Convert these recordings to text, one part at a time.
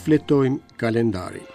Shfletojmë kalendarin.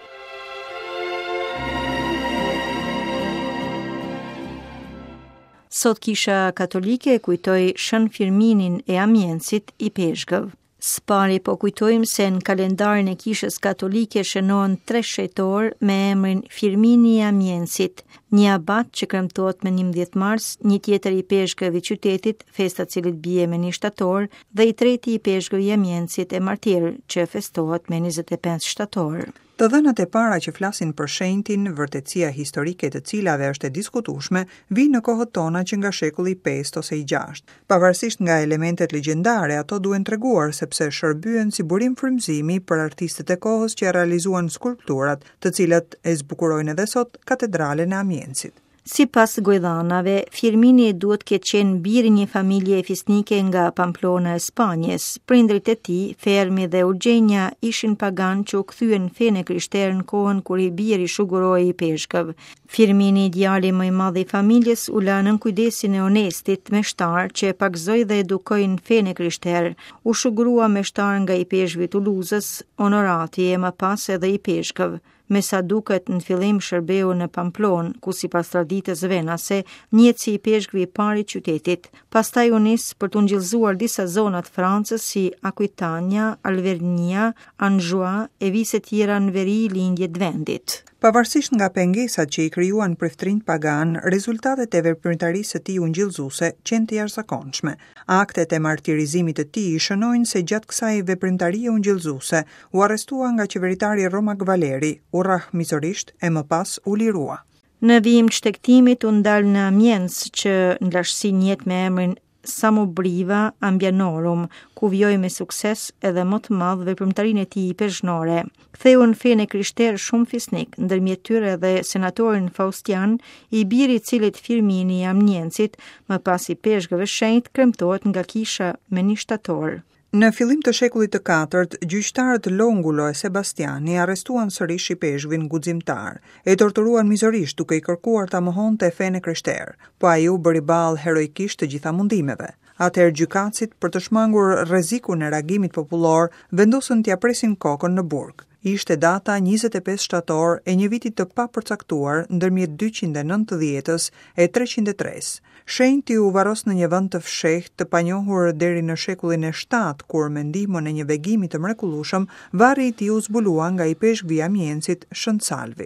Sot Kisha Katolike kujtoi Shën Firminin e Amiensit ipeshkëv. Së pari po kujtojmë se në kalendarin e Kishës Katolike shënohen tre shenjtorë me emrin Firmini i Amiensit, një abat që kremtohet me 11 mars, një tjetër ipeshkëv i qytetit, festa e të cilit bie me 1 shtator, dhe i treti ipeshkëv i Amiensit e martir, që festohet me 25 shtator. Të dhënat e para që flasin për shenjtin, vërtetësia historike e të cilave është e diskutueshme, vijnë në kohët tona që nga shekulli i pestë ose i gjashtë. Pavarësisht nga elementet legjendare, ato duhen treguar sepse shërbyen si burim frymëzimi për artistët e kohës që realizuan skulpturat, të cilat e zbukurojnë edhe sot katedralen e Amiensit. Sipas gojëdhanave, Firmini duhet të ketë qenë bir i një familjeje fisnike nga Pamplona e Spanjës. Prindërit e tij, Fermi dhe Eugenia, ishin paganë që u kthyen në fenë e krishterë në kohën kur i biri shugurohej ipeshkëv. Firmini, djali më i madh i familjes, u la nën kujdesin e Onestit, meshtar, që e pagëzoi dhe edukoi në fenë e krishterë. U shugurua meshtar nga ipeshkvi i Tuluzës, Honorati e më pas edhe ipeshkëv. Me sa duket në fillim shërbeu në Pamplonë, ku sipas traditës venase, njihet si ipeshkvi i parë i qytetit. Pastaj u nis për të ungjillëzuar disa zona të Francës si Aquitania, Alvernia, Anjou e vise tjera në veri lindje të vendit. Pavarësisht nga pengesat që i krijuan priftërinjtë paganë, rezultatet e veprimtarisë së tij ungjillëzuese qenë të jashtëzakonshme. Aktet e martirizimit të tij shënojnë se gjatë kësaj veprimtarie ungjillëzuese U arrestua nga qeveritari romak Valeri, u rrah mizorisht e më pas u lirua. Në vijim të shtegtimit u ndal në Amiens, që në lashtësi njihet me emrin Samarobriva Ambianorum, ku vijoi me sukses edhe më të madh veprimtarinë e tij ipeshkvnore. Ktheu në fenë e krishterë shumë fisnikë, ndërmjet tyre edhe senatorin Faustian, i biri i të cilit Firmini i Amiensit, më pas ipeshkëv e shenjt, kremtohet nga kisha me një shtator. Në fillim të shekullit të katërt, gjyqtarët Longulo e Sebastiani arrestuan sërish ipeshkvin guximtar. E torturuan mizorisht duke i kërkuar ta mohonte fenë e krishterë, po ai u bëri ballë heroikisht të gjitha mundimeve. Atëherë gjykatësit, për të shmangur rrezikun e reagimit popullor, vendosën t'ia presin kokën në burg. Ishte data 25 shtator e një viti të papërcaktuar ndërmjet 290-ës e 303-së. Shenjti u varros në një vend të fshehtë të panjohur deri në shekullin e shtatë, kur me ndihmën e një vegimi të mrekullueshëm, varri i tij u zbulua nga ipeshkvi i Amiensit, Shën Salvi.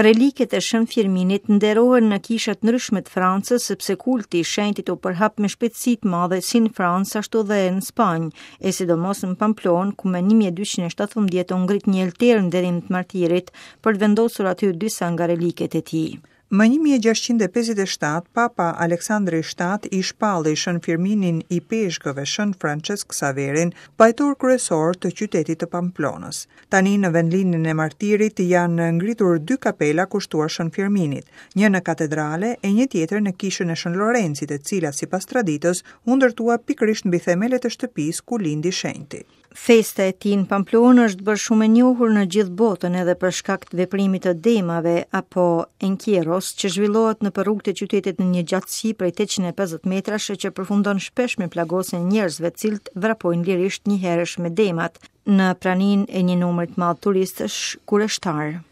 Reliket e Shën Firminit nderohen në kisha të ndryshme të Francës sepse kulti i shenjtit u përhap me shpejtësi të madhe si në Francë ashtu dhe në Spanjë, e sidomos në Pamplonë, ku më 1217 u ngrit një altar në nderim të martirit për të vendosur aty disa nga reliket e tij. Më 1657, Papa Aleksandri i Shtatë i shpalli Shën Firminin ipeshkëv e Shën Françesk Ksaverin pajtor kryesor të qytetit të Pamplonës. Tani në vendlindjen e martirit janë ngritur dy kapela kushtuar Shën Firminit, një në katedrale e një tjetër në kishën e Shën Lorencit, e cila sipas traditës u ndërtua pikërisht mbi themelet e shtëpisë ku lindi shenjti. Festa e tij në Pamplonë është bërë shumë e njohur në gjithë botën edhe për shkak të veprimit të demave apo encierros që zhvillohet nëpër rrugët e qytetit në një gjatësi prej 850 metrash e që përfundon shpesh me plagosjen e njerëzve të cilët vrapojnë lirisht njëherësh me demat. në praninë e një numri të madh turistësh kureshtarë.